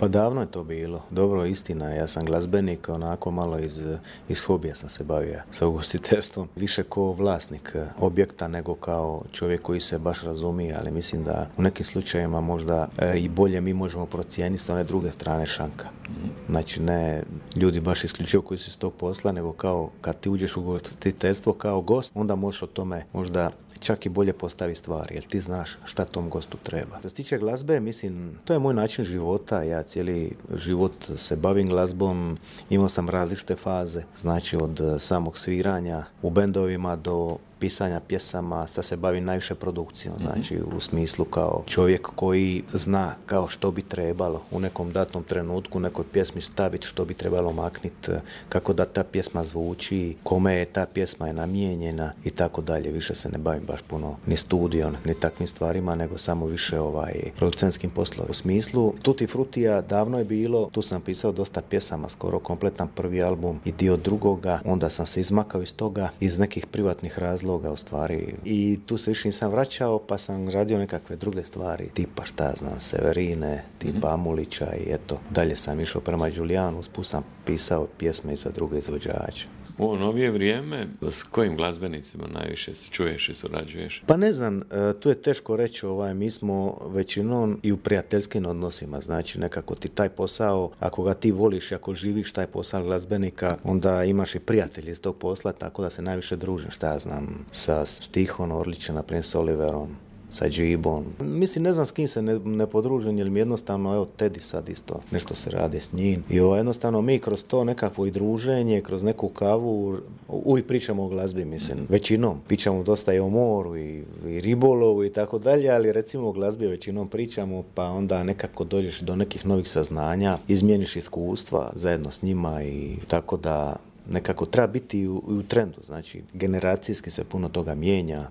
Pa davno je to bilo. Dobro, istina, ja sam glazbenik, onako malo iz hobija sam se bavio sa ugostiteljstvom. Više kao vlasnik objekta nego kao čovjek koji se baš razumije, ali mislim da u nekim slučajevima možda i bolje mi možemo procijeniti s one druge strane šanka. Znači ne ljudi baš isključivo koji su iz tog posla, nego kao kad ti uđeš u ugostiteljstvo kao gost, onda možeš o tome možda čak i bolje postavi stvari, jer ti znaš šta tom gostu treba. Što se tiče glazbe, mislim, to je moj način života, ja cijeli život se bavim glazbom, imao sam različite faze, znači od samog sviranja u bendovima do pisanja pjesama, sad se bavim najviše produkcijom, znači u smislu kao čovjek koji zna kao što bi trebalo u nekom datom trenutku, nekoj pjesmi staviti, što bi trebalo makniti, kako da ta pjesma zvuči, kome je ta pjesma je namijenjena i tako dalje. Više se ne bavim baš puno ni studijom, ni takvim stvarima, nego samo više producentskim poslovima. U smislu Tutti Fruttija davno je bilo, tu sam pisao dosta pjesama, skoro kompletan prvi album i dio drugoga, onda sam se izmakao iz toga iz nekih privatnih razloga u stvari i tu se više nisam vraćao, pa sam radio nekakve druge stvari, tipa šta znam, Severine, tipa Amulića i eto, dalje sam išao prema Đulijanu, usput sam pisao pjesme i za druge izvođače. U ovo novije vrijeme, s kojim glazbenicima najviše se čuješ i surađuješ? Pa ne znam, tu je teško reći, mi smo većinom i u prijateljskim odnosima, znači nekako ti taj posao, ako ga ti voliš, ako živiš taj posao glazbenika, onda imaš i prijatelji iz tog posla, tako da se najviše družim, šta ja znam, sa Stihom Orlićem, naprimjer s Oliverom, sa Džibom. Mislim, ne znam s kim se ne podružim, jer mi jednostavno, evo, Teddy sad isto, nešto se radi s njim. I jednostavno mi kroz to nekakvo i druženje, kroz neku kavu, uvijek pričamo o glazbi, mislim. Većinom. Pričamo dosta i o moru i ribolovu i tako dalje, ali recimo o glazbi većinom pričamo, pa onda nekako dođeš do nekih novih saznanja, izmijeniš iskustva zajedno s njima i tako da nekako treba biti u trendu. Znači, generacijski se puno toga mijenja.